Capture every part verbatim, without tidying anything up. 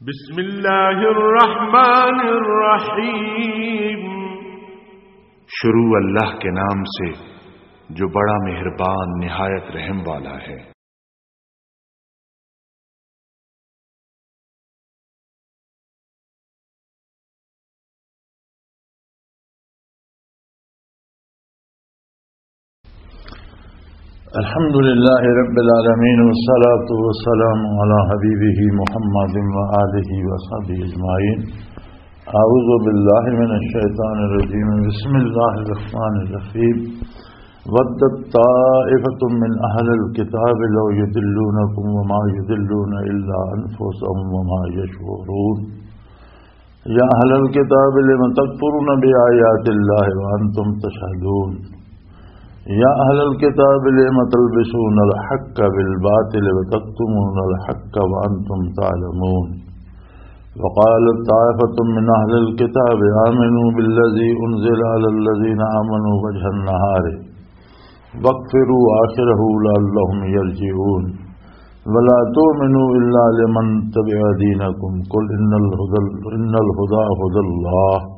بسم اللہ الرحمن الرحیم۔ شروع اللہ کے نام سے، جو بڑا مہربان، نہایت رحم والا ہے۔ الحمد لله رب العالمين، والصلاة والسلام على حبيبه محمد وآله وصحبه أجمعين. أعوذ بالله من الشيطان الرجيم. بسم الله الرحمن الرحيم. ودت طائفة من أهل الكتاب لو يضلونكم وما يضلون إلا أنفسهم وما يشعرون. يا أهل الكتاب لم تكفرون بآيات الله وأنتم تشهدون. يا أهل الكتاب لم تلبسون الحق بالباطل وتكتمون الحق وأنتم تعلمون. وقالت طائفة من أهل الكتاب آمنوا بالذي أنزل على الذين آمنوا وجه النهار واكفروا آخره لعلهم يرجعون. ولا تؤمنوا إلا لمن تبع دينكم. قل إن الهدى، إن الهدى هدى الله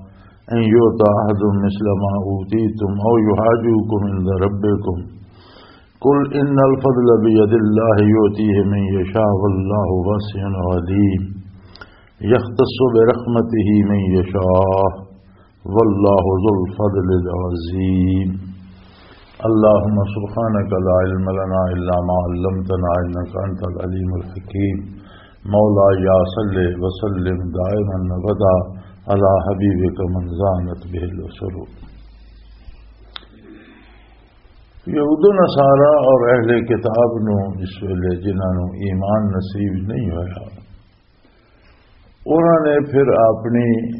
أن يؤتى أحد مثل ما أوتيتم أو يحاجوكم عند ربكم. قل إن الفضل بيد الله يؤتيه من يشاء والله واسع عليم. يختص برحمته من يشاء والله ذو الفضل العظيم. اللهم سبحانك لا علم لنا إلا ما علمتنا إنك أنت العليم الحكيم. مولاي صل وسلم دائما أبدا على حبيبك من زانت به الأسر. یہود و نصارہ اور اہل کتاب نو اس ویلے، جنہاں نو ایمان نصیب نہیں ہویا، انہاں نے پھر اپنی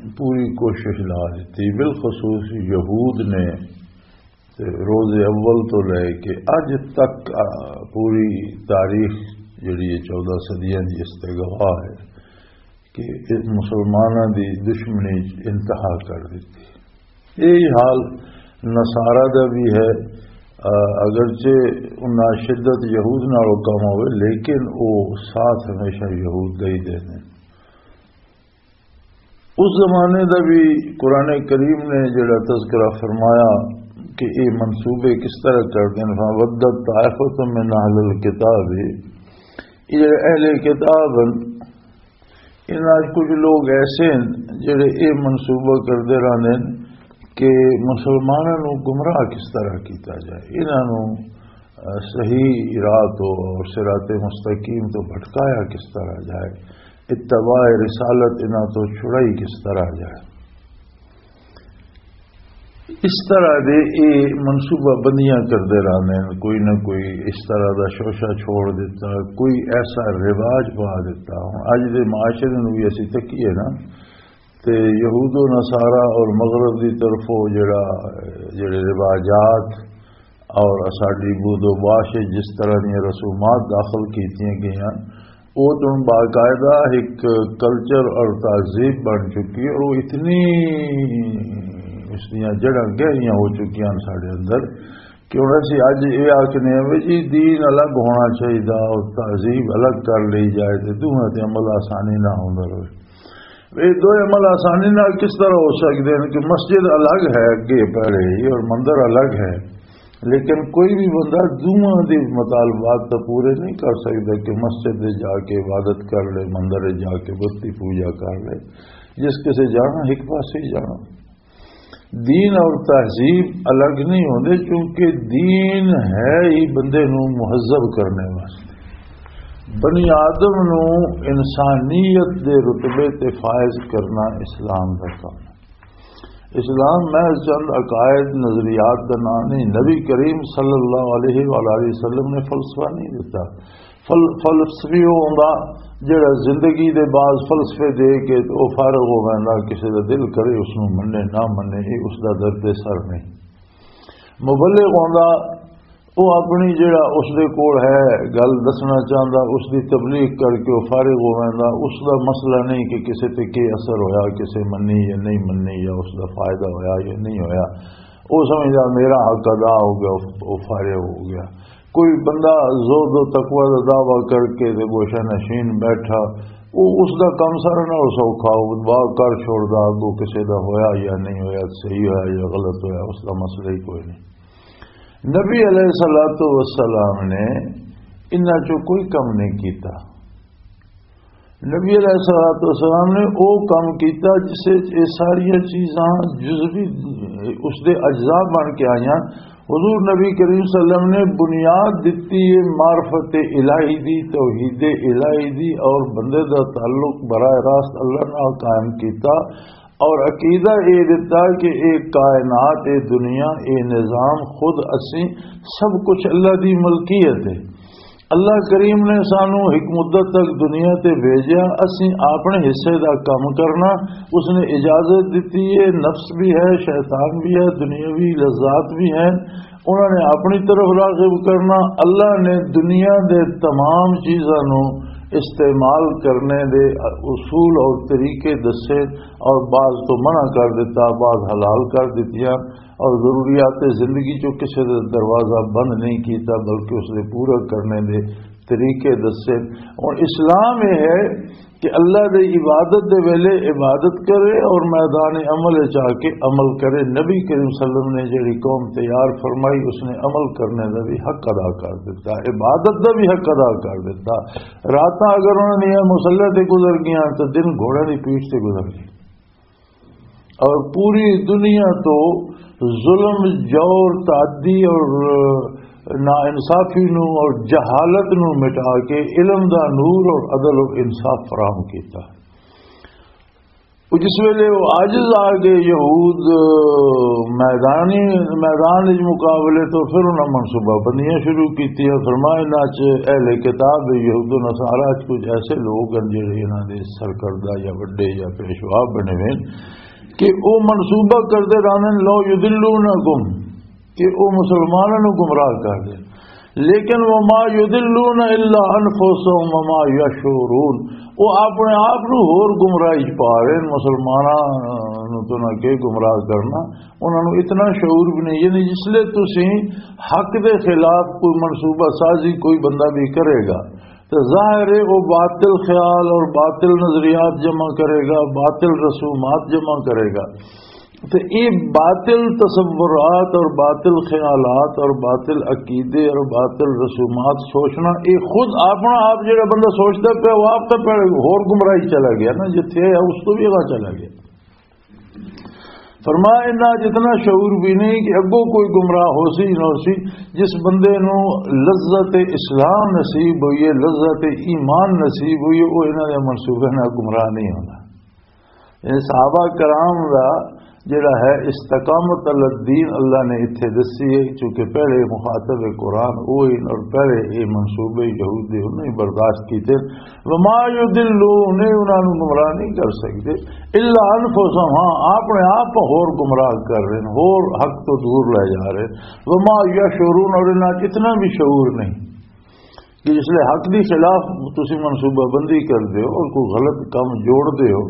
پوری کوشش لا دتی۔ بالخصوص یہود نے تے روز اول تو لے کے اج تک، آ، پوری تاریخ جڑی ہے، چودہ صدیاں دی، اس تے گواہ ہے کہ اس مسلماناں دی دشمنی انتہا کر دتی۔ یہی حال نصارہ دا بھی ہے۔ آ، اگرچہ انہاں شدت یہود نالوں کم ہوئے، لیکن او ساتھ ہمیشہ یہود دا ہی دے دیں۔ اس زمانے دا بھی قرآن کریم نے جڑا تذکرہ فرمایا کہ یہ منصوبے کس طرح کر دیں، فَوَدَّتْ طَائِفَةٌ مِّنْ أَهْلِ الْكِتَابِ، یہ جڑے اہل کتاب ہیں، انہاں وچ کچھ لوگ ایسے ہیں جڑے یہ منصوبہ کردے رہندے ہیں کہ مسلماناں نوں گمراہ کس طرح کیتا جائے، انہاں نوں، آ، صحیح راہ تو اور صراط مستقیم تو بھٹکایا کس طرح جائے، اتباع رسالت انہاں تو چھڑائی کس طرح جائے۔ اس طرح دے اے منصوبہ بندیاں کردے رہندے ہیں، کوئی نہ کوئی اس طرح دا شوشہ چھوڑ دیتا، کوئی ایسا رواج پا دیتا۔ ہن اج دے معاشرے نوں وی اسی تکیے نا، تے یہود و نصارہ اور مغرب دی طرفوں جڑا، جڑے رواجات اور اساڈی بود و باش وچ جس طرح دیاں رسومات داخل کیتیاں گئیاں، او توں باقاعدہ ایک کلچر اور تہذیب بن چکی ہے، اور وہ اتنی اس دیاں جڑاں گہریاں ہو چکیاں ہن ساڈے اندر کہ ہن اسی اج یہ آکھنے ہیں بھی جی دین الگ ہونا چاہیے اور تہذیب الگ کر لی جائے، تے دوواں تے عمل آسانی نہ ہوندا رہے۔ یہ دو عمل آسانی نال کس طرح ہو سکدے ہیں کہ مسجد الگ ہے، اگے پہلے ہی، اور مندر الگ ہے، لیکن کوئی بھی بندہ دوواں دے مطالبات تو پورے نہیں کر سکدا کہ مسجد دے جا کے عبادت کر لے، مندر دے جا کے بتی پوجا کر لے۔ جس کسے جانا، ایک پاسے ہی جانا۔ دین اور تہذیب الگ نہیں ہوندے، کیونکہ دین ہے ہی بندے نوں مہذب کرنے واسطے۔ بنی آدم نوں انسانیت دے رتبے تے فائز کرنا اسلام دا کام ہے۔ اسلام محض چند عقائد، نظریات دا نام نہیں۔ نبی کریم صلی اللہ علیہ وآلہ وسلم نے فلسفہ نہیں دیتا۔ فل-، فلسفی وہ ہوندا جڑا زندگی دے بعض فلسفے دے کے تے او فارغ ہو ویندا، کسے دا دل کرے اس نوں منے نہ منے، یہ اس دا درد سر نہیں۔ مبلغ ہوندا، وہ اپنی جڑا اس دے کول ہے گل دسنا چاہندا، اس دی تبلیغ کر کے وہ فارغ ہو ویندا۔ اس دا مسئلہ نہیں کہ کسے تے کی اثر ہویا، کسے منی یا نہیں منی، یا اس دا فائدہ ہویا یا نہیں ہویا۔ وہ سمجھدا میرا حق ادا ہو گیا، وہ فارغ ہو گیا۔ کوئی بندہ زہد و تقوی دا دعویٰ کر کے تے گوشہ نشین بیٹھا، وہ اس دا کم سارا نال سوکھا، وہ دعا کر چھوڑدا، اگوں کسے دا ہویا یا نہیں ہویا، صحیح ہویا یا غلط ہویا، اس دا مسئلہ ہی کوئی نہیں۔ نبی علیہ الصلوۃ والسلام نے انہاں چوں کوئی کم نہیں کیتا۔ نبی علیہ الصلوۃ والسلام نے او کم کیتا جس وچ یہ ساریاں چیزاں جزوی اس دے اجزاء بن کے آئیاں۔ حضور نبی کریم صلی اللہ علیہ وسلم نے بنیاد دتی ہے معرفت الہی دی، توحید الہی دی، اور بندے دا تعلق براہ راست اللہ نال قائم کیتا، اور عقیدہ اے دتا کہ اے کائنات، اے دنیا، اے نظام خود اسی سب کچھ اللہ دی ملکیت ہے۔ اللہ کریم نے سانو ایک مدت تک دنیا تے بھیجیا، اسی اپنے حصے دا کم کرنا، اس نے اجازت دتی ہے، نفس بھی ہے، شیطان بھی ہے، دنیاوی لذات بھی ہیں، انہوں نے اپنی طرف راغب کرنا۔ اللہ نے دنیا دے تمام چیزاں نو استعمال کرنے دے اصول اور طریقے دسے، اور بعض تو منع کر دیتا، بعض حلال کر دیتیاں، اور ضروریات زندگی چوں کسے دا دروازہ بند نہیں کیتا، بلکہ اس دے پورا کرنے دے طریقے دسے۔ اور اسلام یہ ہے کہ اللہ دے عبادت دے ویلے عبادت کرے اور میدان عمل وچ آ کے عمل کرے۔ نبی کریم صلی اللہ علیہ وسلم نے جڑی قوم تیار فرمائی، اس نے عمل کرنے دا بھی حق ادا کر دیتا، عبادت دا بھی حق ادا کر دیتا۔ راتاں اگر انہوں نے یہ مسلح تے گزر گیا تو دن گھوڑے دی پیٹھ تے گزر گئے۔ اور پوری دنیا تو ظلم، جور، تعدی اور ناانصافی نو اور جہالت نو مٹا کے علم دا نور اور عدل و انصاف فراہم کیتا۔ وہ جس ویلے وہ عاجز آ گئے یہود میدانی، میدان وچ مقابلے تو پھر انہاں منصوبہ بندیاں شروع کیتیاں۔ فرمایا انہاں چ اہل کتاب یہود و نصارہ چ کچھ ایسے لوگ ہیں جڑے انہاں دے سرکردہ یا وڈے یا پیشوا بنے ہوئے کہ او منصوبہ کردے رہندے، لو یضلونکم، کہ او مسلماناں نوں گمراہ کر دین، لیکن وما یضلون الا انفسهم وما یشعرون، او اپنے آپ نوں ہور گمراہی چ پا رہے ہیں، مسلماناں نوں تو نہ کہ گمراہ کرنا، انہاں نوں اتنا شعور بھی نہیں۔ یعنی جس لئے تسی حق دے خلاف کوئی منصوبہ سازی کوئی بندہ بھی کرے گا، تو ظاہر ہے وہ باطل خیال اور باطل نظریات جمع کرے گا، باطل رسومات جمع کرے گا۔ تو یہ باطل تصورات اور باطل خیالات اور باطل عقیدے اور باطل رسومات سوچنا، یہ خود اپنا آپ جڑا بندہ سوچتا پیا، وہ آپ تو پہلے ہور گمراہی چلا گیا نا، جتھے ہے اس تو بھی اگاں چلا گیا۔ فرمایا، انہاں جتنا شعور بھی نہیں کہ اگوں کوئی گمراہ ہو سی نہ ہو سی۔ جس بندے نو لذت اسلام نصیب ہوئی ہے، لذت ایمان نصیب ہوئی ہے، وہ انہاں دے منصوبے نال گمراہ نہیں ہونا۔ یعنی صحابہ کرام دا جڑا ہے استقامت علی الدین اللہ نے اتھے دسی ہے، چونکہ پہلے مخاطب قرآن وہی اور پہلے یہ منصوبے یہود دے انہوں نے برداشت کیتے۔ وما یضلون، انہاں نوں گمراہ نہیں کر سکتے، الا انفسهم، ہاں، اپنے آپ ہور گمراہ کر رہے ہیں، ہور حق تو دور لے جا رہے ہیں۔ وما یشعرون، اور انہاں اتنا بھی شعور نہیں کہ جس لئے حق دی خلاف تسی منصوبہ بندی کر دے ہو اور کوئی غلط کام جوڑ دے ہو،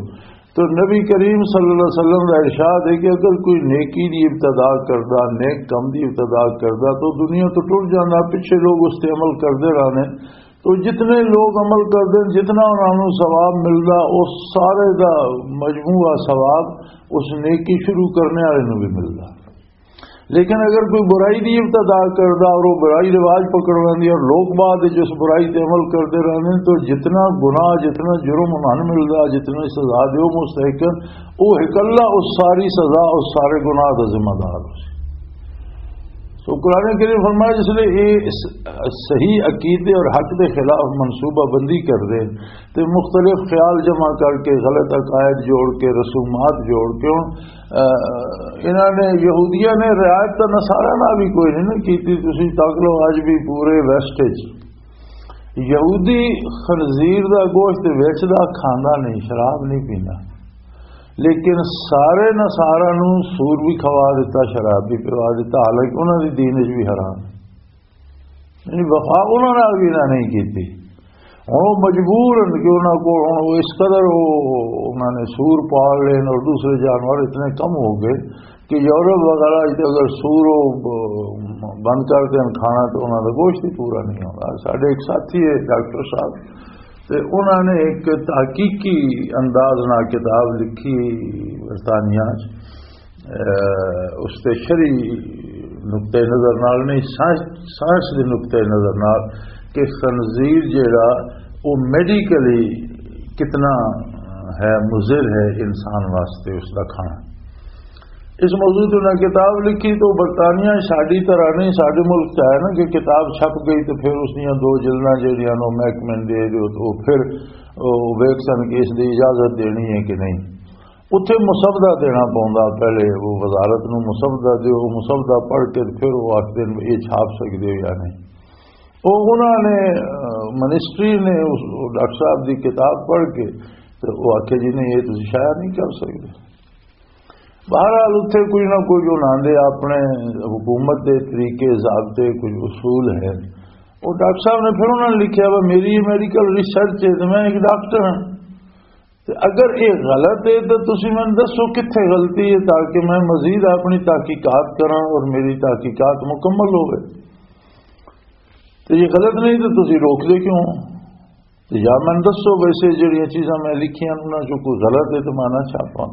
تو نبی کریم صلی اللہ علیہ وسلم کا ارشاد ہے کہ اگر کوئی نیکی دی ابتدا کردا، نیک کم دی ابتدا کردا، تو دنیا تو ٹر جانا، پیچھے لوگ اس تے عمل کردے رہنے۔ تو جتنے لوگ عمل کردے ہیں، جتنا انہاں نوں ثواب ملدا، اس سارے دا مجموعہ ثواب اس نیکی شروع کرنے والے نوں بھی ملدا۔ لیکن اگر کوئی برائی دی ابتدا کردا اور وہ برائی رواج پکڑ لیندی اور لوگ بعد وچ اس برائی تے عمل کردے رہندے، تو جتنا گناہ، جتنا جرم انہاں نوں ملدا، جتنی سزا دے وہ مستحق ہیں، وہ اکلا اس ساری سزا، اس سارے گناہ دا ذمہ دار ہو سی۔ سو قرآن کریم فرمایا، جس لئے یہ اس صحیح عقیدے اور حق دے خلاف منصوبہ بندی کر دے تے مختلف خیال جمع کر کے، غلط عقائد جوڑ کے، رسومات جوڑ کے، ہن، آ، انہاں نے، یہودیاں نے رعایت تاں نصارہ نال بھی کوئی نہیں نا کیتی۔ تسی تک لو، اج بھی پورے ویسٹ وچ یہودی خنزیر دا گوشت ویچدا، کھاندا نہیں، شراب نہیں پیندا، لیکن سارے نصارہ نوں سور بھی کھوا دیتا، شراب بھی پوا دیتا، حالانکہ انہاں دی دین وچ بھی حرام ہے۔ یعنی وفا انہاں نال بھی انہاں نہیں کیتی۔ ہن وہ مجبور ہیں کہ انہاں کو ہن وہ اس قدر وہ، انہاں نے سور پال لین اور دوسرے جانور اتنے کم ہو گئے کہ یورپ وغیرہ وچ اگر سور وہ بند کر دین کھانا تو انہاں دا گوشت ہی پورا نہیں ہوگا۔ ساڈے ایک ساتھی ہے ڈاکٹر صاحب، تے انہاں نے ایک تحقیقی انداز نال کتاب لکھی برطانیہ چ۔ اے، اس تے شرعی نقطۂ نظر نال نہیں، سائنس، سائنس دے نقطۂ نظر نال کہ خنزیر جیڑا، وہ میڈیکلی کتنا ہے، مضر ہے انسان واسطے اس دا کھانا۔ اس موضوع تے انہاں کتاب لکھی۔ تو برطانیہ ساڈی طرح نہیں، ساڈے ملک چ ہے نا کہ کتاب چھپ گئی تو پھر اس دیاں دو جلداں جیڑیاں نو محکمے نے دے دیو، تو پھر او ویکھ سن کہ اس دی اجازت دینی ہے کہ نہیں۔ اتھے مسودہ دینا پوندا، پہلے وہ وزارت نو مسودہ دیو، مسودہ پڑھ کے پھر وہ آخدے نے یہ چھاپ سکدے ہو یا نہیں۔ وہ انہاں نے، آ، منسٹری نے اس، ڈاکٹر صاحب دی کتاب پڑھ کے تے وہ آکھیا، "جی نہیں، یہ تسی شائع نہیں کر سکدے۔" بہرحال اتھے کوئی نہ کوئی انہاں دے اپنے حکومت دے طریقے، ضابطے، کچھ اصول ہیں۔ وہ ڈاکٹر صاحب نے پھر انہاں نے لکھیا، "وہ میری میڈیکل ریسرچ ہے تے میں ایک ڈاکٹر ہاں۔" تے اگر یہ غلط ہے تو تسی مینوں دسو کتھے غلطی ہے، تاکہ میں مزید اپنی تحقیقات کراں اور میری تحقیقات مکمل ہوئے۔ تے یہ غلط نہیں تو تسی روک دے کیوں؟ تے یا مینوں دسو، ویسے جڑیاں چیزاں میں لکھیاں انہاں چوں کوئی غلط ہے تو میں نہ چھاپاں۔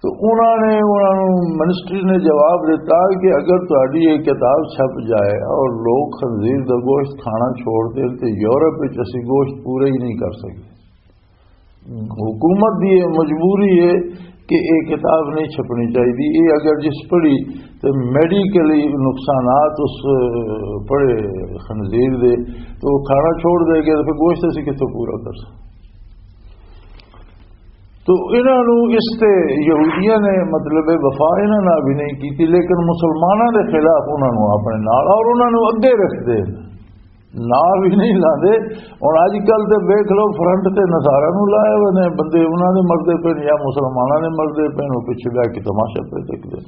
تو انہاں نے، انہاں نوں منسٹری نے جواب دیتا کہ اگر تہاڈی یہ کتاب چھپ جائے اور لوگ خنزیر دا گوشت کھانا چھوڑ دین تے یورپ وچ اسی گوشت پورا ہی نہیں کر سکدے۔ حکومت دی یہ مجبوری ہے کہ یہ کتاب نہیں چھپنی چاہیے۔ یہ اگر جس پڑھی تو میڈیکلی نقصانات اس پڑھے خنزیر دے، تو وہ کھانا چھوڑ دے گا، تو پھر گوشت اسی کتوں پورا کر سکتے؟ تو انہاں نوں اس تے یہودیاں نے، مطلب، وفا انہاں نال بھی نہیں کیتی، لیکن مسلماناں دے خلاف انہاں نوں اپنے نال اور انہاں نوں اگے رکھدے نال بھی نہیں لاندے۔ ہن اج کل تے ویکھ لو، فرنٹ تے نصارا نوں لائے ہوئے نے، بندے انہاں دے مردے پے نے یا مسلماناں دے مردے پے نے، وہ پیچھے بہ کے تماشا پہ دیکھدے۔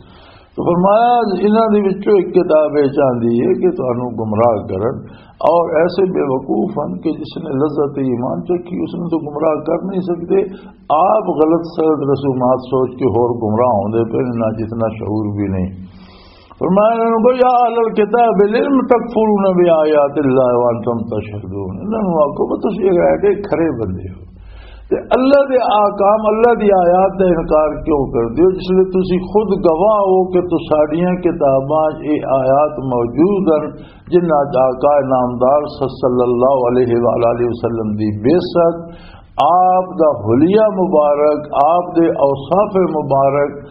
تو فرمایا، انہاں دے وچوں ایک کتاب یہ چاہندی ہے کہ تانوں گمراہ کرن، اور ایسے بے وقوف ہیں کہ جس نے لذت ایمان چکھی، اس نے تو گمراہ کر نہیں سکتے۔ آپ غلط سلط رسومات سوچ کے ہور گمراہ ہوندے پے نے، نہ جتنا شعور بھی نہیں۔ فرمایا انہوں کو، "یا اہل الکتاب، لم تکفرون بآیات اللہ وانتم تشہدون۔" انہوں نے آکھو کہ تسی غیر کے کھرے بندے ہو۔ تے اللہ دے احکام، اللہ دی آیات دا انکار کیوں کر دیو، جس لئے تسی خود گواہ ہو کہ تساڈیاں کتاباں 'چ اے آیات موجود ہن، جنہاں 'چ آقا نامدار صلی اللہ علیہ وآلہ وسلم دی بعثت، آپ دا حلیہ مبارک، آپ دے اوصاف مبارک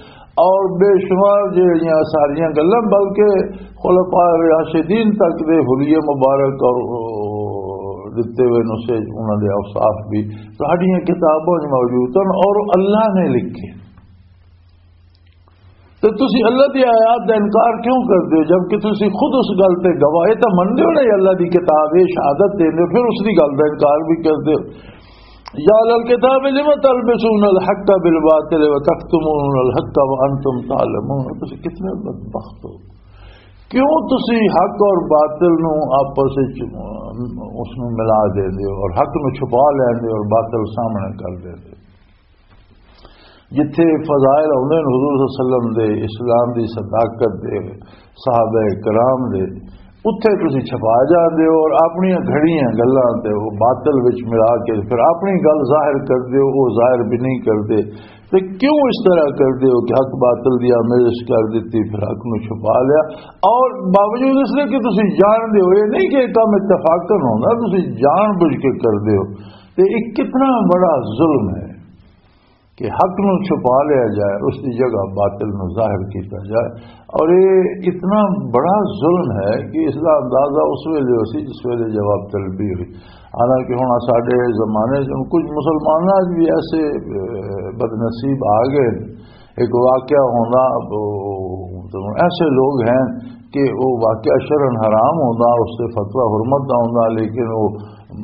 اور بے شمار جہڑیاں ساریاں گلاں، بلکہ خلفاء راشدین تک دے حلیہ مبارک اور دتے ہوئے نسخے، انہاں دے اوصاف بھی ساڈیاں کتاباں 'چ موجود ہن اور اللہ نے لکھے۔ تے تسی اللہ دی آیات دا انکار کیوں کردے ہو، جبکہ تسی خود اس گل تے گواہ؟ اے تاں مندے ہو نا، اللہ دی کتاب، اے شہادت دیندے ہو، پھر اس دی گل دا انکار بھی کردے ہو۔ یا اہل الکتاب، لم تلبسون الحق بالباطل وتکتمون الحق وانتم تعلمون۔ تسی کتنے بدبخت ہو، کیوں تسی حق اور باطل نو آپس وچ، اس نو ملا دیندے ہو اور حق نو چھپا لیندے ہو اور باطل سامنے کر دیندے ہو؟ جتھے فضائل آوندے نے حضور صلی اللہ علیہ وسلم دے، اسلام دی صداقت دے، صحابہ کرام دے، اتھے تسی چھپا جاندے ہو اور اپنی گھڑیاں گلاں تے وہ باطل وچ ملا کے پھر اپنی گل ظاہر کردے ہو، وہ ظاہر بھی نہیں کردے۔ تے کیوں اس طرح کردے ہو کہ حق باطل دی آمیزش کر دتی، پھر حق نو چھپا لیا؟ اور باوجود اس دے کہ تسی جاندے ہو، یہ نہیں کہ یہ کام اتفاقاً ہوندا، تسی جان بوجھ کے کردے ہو۔ تے یہ کتنا بڑا ظلم ہے کہ حق نو چھپا لیا جائے، اس دی جگہ باطل نو ظاہر کیتا جائے۔ اور یہ اتنا بڑا ظلم ہے کہ اس دا اندازہ اس ویلے ہو سی جس ویلے جواب طلبی ہوئی۔ حالانکہ ہن ساڈے زمانے چ کچھ مسلماناں چ بھی ایسے، اے، بدنصیب آ گئے۔ ایک واقعہ ہونا، او، ایسے لوگ ہیں کہ وہ واقعہ شرعاً حرام ہوندا، اس سے فتویٰ حرمت دا ہوندا، لیکن وہ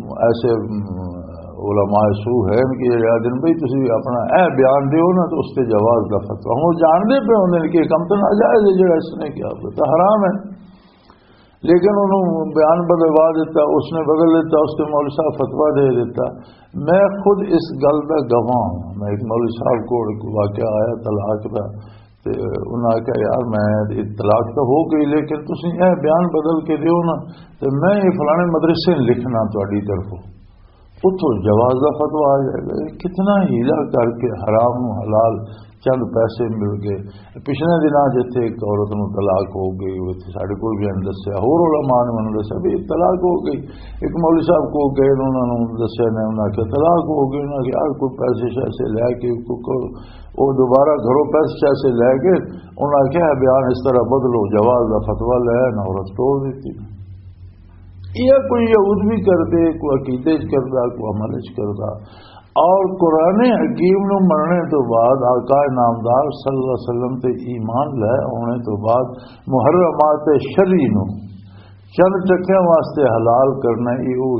ایسے، ام، علماء سو ہیں کہ یہ آدھے نے، "بھئی، تسی اپنا اے بیان دیو نا، تو اس تے جواز دا فتویٰ۔" ہن وہ جاندے پے ہوندے نے کہ یہ کم تو ناجائز ہے، جڑا اس نے کیا، وہ تو حرام ہے۔ لیکن انہوں بیان بدلوا دیتا، اس نے بدل دیتا، اس تے مولوی صاحب فتویٰ دے دیتا۔ میں خود اس گل دا گواہ ہوں۔ میں ایک مولوی صاحب کو ایک واقعہ آیا طلاق دا، تے انہاں آکھیا، "یار، میں، طلاق تو ہو گئی، لیکن تسی اے بیان بدل کے دیو نا، تے میں یہ فلانے مدرسے لکھنا تہاڈی طرفوں۔" اتھوں جواز دا فتویٰ آ جائے گا۔ یہ کتنا ہیلا کر کے حرام نو حلال، چند پیسے مل گئے۔ پچھلے دناں جتھے ایک عورت نو طلاق ہو گئی، وہ اتھے ساڈے کول بھی آن دسیا، ہور علماء نے انہوں دسیا بھی طلاق ہو گئی۔ ایک مولوی صاحب کو گئے، انہوں نے دسیا، نے انہوں نے آخیا طلاق ہو گئی، انہوں نے آخیا کوئی پیسے شیسے لے کے کوئی، کوئی، وہ دوبارہ گھروں پیسے شیسے لے کے انہوں نے آخیا بیان اس طرح بدلو، جواز دا فتویٰ لے، نہ عورت توڑ دیتی۔ یہ کوئی یہود بھی کردے، کوئی عقیدے چ کردا، کوئی عمل چ کردا۔ اور قرآن حکیم نو مننے تو بعد، آقا نامدار صلی اللہ علیہ وسلم تے ایمان لے آنے تو بعد، محرمات شرعی نو چند ٹکیاں واسطے حلال کرنا، یہ وہ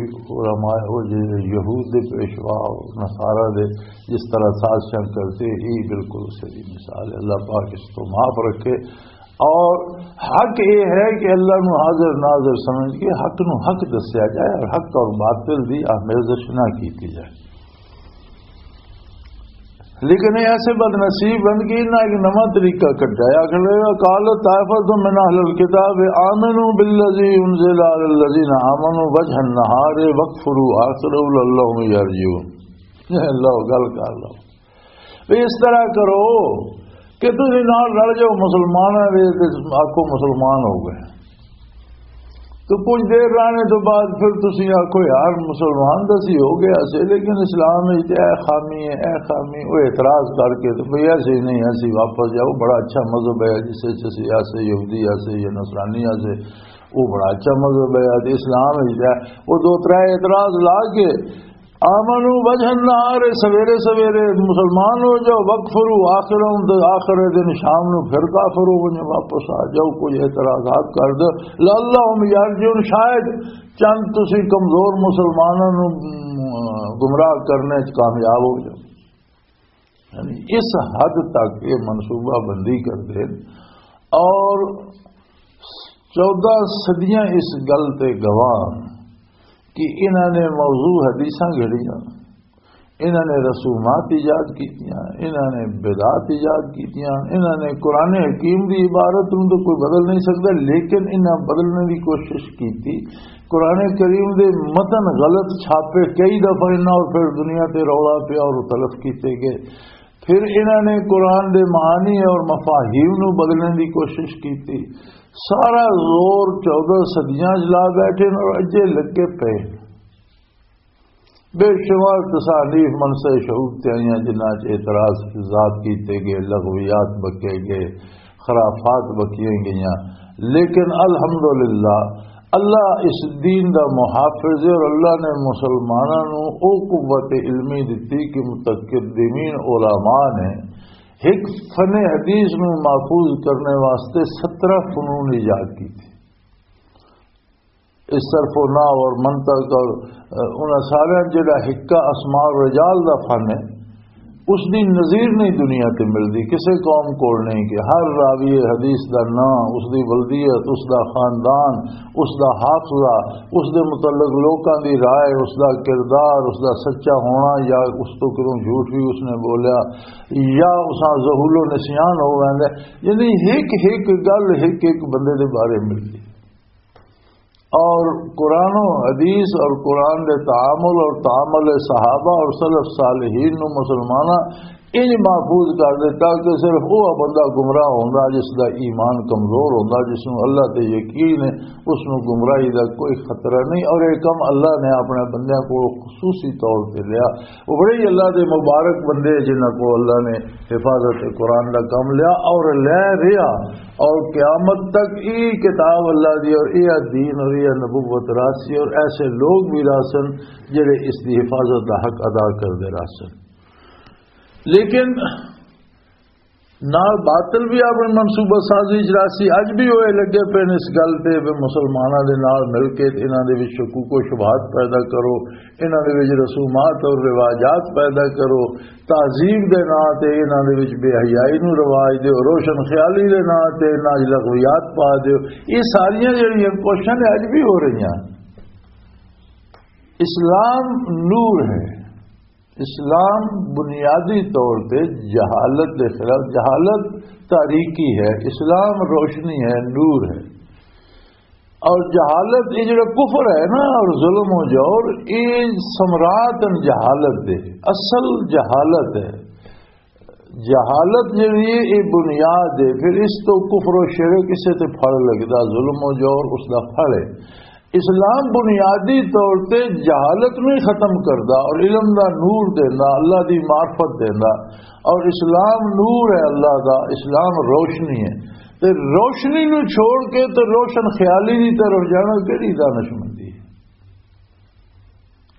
علماء، وہ جڑے یہود دے پیشوا، نصارہ دے جس طرح سازشاں کرتے، یہ بالکل صحیح مثال ہے۔ اللہ پاک اس تو معاف رکھے۔ اور حق یہ ہے کہ اللہ نو حاضر ناظر سمجھ کے حق نو حق دسیا جائے اور حق اور باطل دی آمیزش نہ کیتی جائے۔ لیکن یہ ایسے بد نصیب ہیں کہ انہاں ایک نواں طریقہ کڈیا۔ آخر قال طائفة من اہل الكتاب آمنوا بالذی انزل علی الذین آمنوا وجه النهار واکفروا آخره لعلهم یرجعون۔ اللہ گل کر لو۔ بھی اس طرح کرو کہ تسی نال رل جاؤ مسلماناں دے، تے آکھو مسلمان ہو گئے۔ تو کچھ دیر رہنے تو بعد پھر تسی آکھو یار مسلمان تو اسی ہو گیا سے، لیکن اسلام وچ تے اے خامی ہے، اے خامی، وہ اعتراض کر کے تو بھئی ایسے ہی نہیں، ایسے ہی واپس جاؤ، بڑا اچھا مذہب ہے جس وچ اسی ایسے یہودی ایسے یا نصرانی ایسے، وہ بڑا اچھا مذہب ہے۔ تے اسلام وچ تے وہ دو ترے اعتراض لا کے آمنو وجہ النہار، سویرے سویرے مسلمان ہو جاؤ، وکفرو آخرہم، تے آخر دن شام نو پھر کافر ہو ونجو، واپس آ جاؤ، کوئی اعتراضات کر دو۔ لعلہم یرجعون، شاید چند تسی کمزور مسلماناں نو، م، گمراہ کرنے چ کامیاب ہو جاؤ۔ یعنی اس حد تک یہ منصوبہ بندی کر دے۔ اور چودہ صدیاں اس گل تے گواہ کہ انہاں نے موضوع حدیثاں گھڑیاں، انہاں نے رسومات ایجاد کیتیاں، انہاں نے بدعات ایجاد کیتیاں، انہاں نے قرآن حکیم دی عبارت نوں تو کوئی بدل نہیں سکدا، لیکن انہاں بدلنے دی کوشش کیتی۔ قرآن کریم دے متن غلط چھاپے، کئی دفعہ انہاں اور پھر دنیا تے رولا پیا اور تلف کیتے گئے۔ پھر انہاں نے قرآن دے معانی اور مفاہیم نوں بدلنے دی کوشش کیتی۔ سارا زور چودہ صدیاں چ لا بیٹھے نے اور اجے لگے پئے۔ بے شمار تصانیف منصع شعوب تے آئیاں، جنہاں چ اعتراض ذات کیتے گئے، لغویات بکے گئے، خرافات بکیاں گئیاں، لیکن الحمدللہ اللہ اس دین دا محافظ ہے اور اللہ نے مسلماناں نوں او قوت علمی دتی کہ متقدمین علماء نے ایک فن حدیث نوں محفوظ کرنے واسطے سترہ فنون ایجاد کیتے۔ اس صرف و نحو اور منطق اور، اہ، انہاں سارے جڑا حکا اسماء الرجال دا فن ہے، اس دی نظیر نہیں دنیا تے ملدی، کسے قوم کول نہیں، کہ ہر راوی حدیث دا نام، اس دی ولدیت، اس دا خاندان، اس دا حافظہ، اس دے متعلق لوکاں دی رائے، اس دا کردار، اس دا سچا ہونا یا اس تو کدوں جھوٹ بھی اس نے بولیا یا اساں ذہول و نسیان ہو ویندا ہے۔ یعنی ہک ہک گل ہک ہک بندے دے بارے ملدی۔ اور قرآن و حدیث اور قرآن دے تعامل اور تعامل صحابہ اور سلف صالحین نو مسلماناں انج محفوظ کر دیتا کہ صرف وہ بندہ گمراہ ہوندا جس دا ایمان کمزور ہوندا، جس نو اللہ تے یقین ہے، اس نو گمراہی دا کوئی خطرہ نہیں۔ اور یہ کم اللہ نے اپنے بندیاں کو خصوصی طور تے لیا۔ وہ بڑے ہی اللہ دے مبارک بندے جنہاں کو اللہ نے حفاظت قرآن دا کم لیا اور لے رہا، اور قیامت تک ای کتاب اللہ دی اور ای دین اور ای نبوت راسی، اور ایسے لوگ بھی راسن جڑے اس دی حفاظت دا حق ادا کردے راسن۔ لیکن نال باطل بھی اپنی منصوبہ سازی چ راسی۔ اج بھی وہ لگے پے نے اس گل تے بھی مسلماناں دے نال مل کے انہاں دے وچ شکوک و شبہات پیدا کرو، انہاں دے وچ رسومات اور رواجات پیدا کرو، تہذیب دے ناں تے انہاں دے وچ بے حیائی نوں رواج دیو، روشن خیالی دے ناں تے انہاں وچ لغویات پا دیو۔ یہ ساریاں جڑیاں کوششاں نے اج بھی ہو رہیاں۔ اسلام نور ہے۔ اسلام بنیادی طور تے جہالت دے خلاف، جہالت تاریکی ہے، اسلام روشنی ہے، نور ہے۔ اور جہالت، یہ جڑا کفر ہے نا، اور ظلم و جور، یہ ثمرات ہیں جہالت دے، اصل جہالت ہے۔ جہالت جڑی ہے، یہ بنیاد ہے، پھر اس تو کفر و شرک، اسے تے پھل لگدا، ظلم و جور اس دا پھل ہے۔ اسلام بنیادی طور تے جہالت نوں ہی ختم کردا اور علم دا نور دیندا، اللہ دی معرفت دیندا۔ اور اسلام نور ہے اللہ دا، اسلام روشنی ہے۔ تے روشنی نوں چھوڑ کے تے روشن خیالی دی طرف جانا کہڑی دانشمندی ہے؟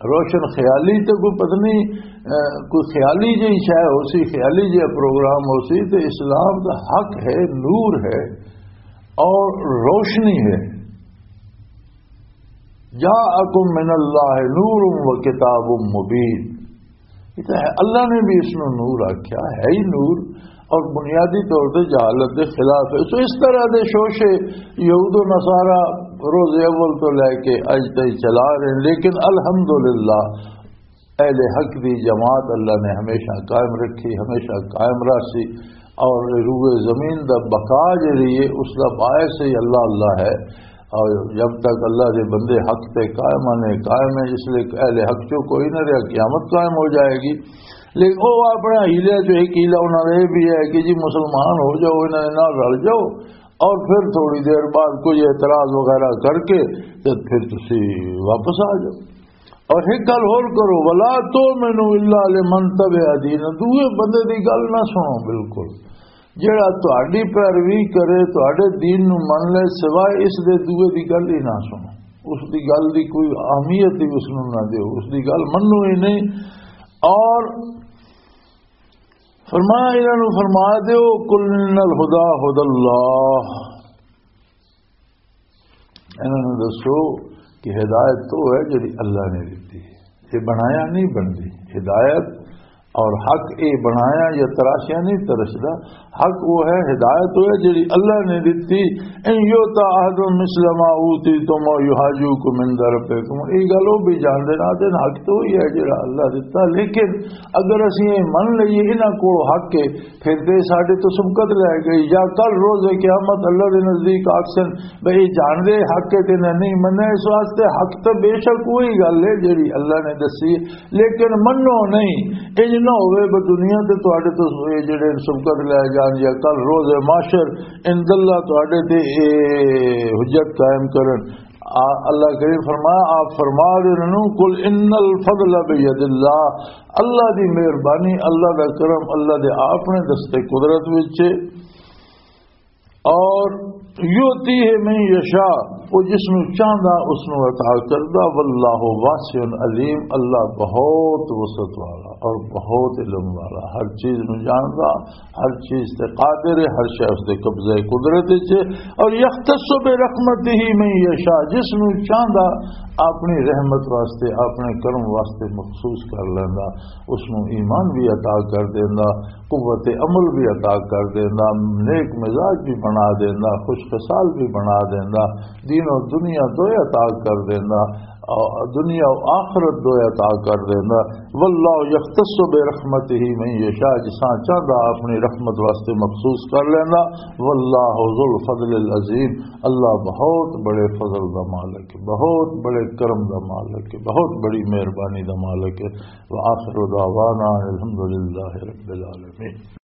روشن خیالی تے کوئی پتہ نہیں، اہ، کوئی خیالی جہی شے ہو سی، خیالی جہا پروگرام ہو سی، تے اسلام دا حق ہے، نور ہے اور روشنی ہے۔ جاءکم من اللہ نور و کتاب مبین۔ یہ تو ہے، اللہ نے بھی اس نوں نور آکھیا ہے، ہی نور، اور بنیادی طور تے جہالت دے خلاف ہے۔ سو اس طرح دے شوشے یہود و نصارہ روز اول تو لے کے اج تک چلا رہے ہیں، لیکن الحمدللہ اہل حق دی جماعت اللہ نے ہمیشہ قائم رکھی، ہمیشہ قائم رکھی، اور روئے زمین دا بقا جڑی ہے، اس دا باعث ہی اللہ اللہ ہے۔ اور جب تک اللہ دے بندے حق تے قائم نے، قائم ہے، اس لیے اہل حق چوں کوئی نہ رہا، قیامت قائم ہو جائے گی۔ لیکن وہ اپنا حیلہ جو ایک حیلہ انہوں نے یہ بھی ہے کہ جی مسلمان ہو جاؤ، انہوں نے نال رل جاؤ، اور پھر تھوڑی دیر بعد کوئی اعتراض وغیرہ کر کے تے پھر تسی واپس آ جاؤ۔ اور ایک گل ہور کرو، ولا تؤمنوا الا لمن تبع دین، دوئے بندے دی گل نہ سنو بالکل۔ جڑا تہاڈی پیروی کرے، تہاڈے دین نو من لے، سوائے اس دے دوئے دی گل ہی نہ سنو۔ اس دی گل دی کوئی اہمیت ہی اس نو نہ دیو، اس دی گل منو ہی نہیں۔ اور فرمایا، انہاں نو فرما دیو، قل ان الہدی ہدی اللہ، انہاں نوں دسو کہ ہدایت تو ہے جڑی اللہ نے دتی ہے، یہ بنایا نہیں بندی۔ ہدایت اور حق یہ بنایا یا تراشیا نہیں ترشدا۔ حق وہ ہے، ہدایت وہ ہے جڑی اللہ نے دتی۔ ان یؤت احد مثل ما اوتیتم او یحاجوکم عند ربکم، یہ گل وہ بھی جانتے نہ دین، حق تو وہی ہے جڑا اللہ دتا۔ لیکن اگر اسی یہ من لئیے انہاں کول حق ہے، پھر تے ساڈے تو سبقت لے گئی، یا کل روز قیامت اللہ دے نزدیک آکسن بھئی جاندے حق تے نہ نہیں مننا۔ اس واسطے حق تے بے شک وہی گل ہے جڑی اللہ نے دسی، لیکن منو نہیں۔ انج نہ ہوئے بھئی دنیا تے تہاڈے تو یہ جڑے سبقت لے جان، یا کل روز محشر عند اللہ تہاڈے تے اے حجت قائم کرن۔ آ-، اللہ کریم فرمایا، آپ فرما دے انہاں نوں، "قل ان الفضل بید اللہ"، اللہ دی مہربانی، اللہ دا کرم، اللہ دے اپنے دستے قدرت وچ ہے۔ اور یؤتی ہے من یشاء، وہ جس نوں چاہندا اس نوں عطا کردا۔ واللہ واسع علیم، اللہ بہت وسعت والا اور بہت علم والا، ہر چیز نوں جاندا، ہر چیز تے قادر ہے، ہر شے اس دے قبضہ قدرت وچ ہے۔ اور یختص برحمتہ من یشاء، جس نوں چاہندا اپنی رحمت واسطے، اپنے کرم واسطے مخصوص کر لیندا، اس نوں ایمان بھی عطا کر دیندا، قوت عمل بھی عطا کر دیندا، نیک مزاج بھی بنا دیندا، خوش خصال بھی بنا دیندا، دین و دنیا دوئے عطا کر دیندا، آ، دنیا و آخرت دوئے عطا کر دیندا۔ واللہ یختص برحمتہ من یشاء، جساں چاہندا اپنی رحمت واسطے مخصوص کر لیندا۔ واللہ ذو الفضل العظیم، اللہ بہت بڑے فضل دا مالک ہے، بہت بڑے کرم دا مالک ہے، بہت بڑی مہربانی دا مالک ہے۔ وآخر دعوانا الحمدللہ رب العالمین۔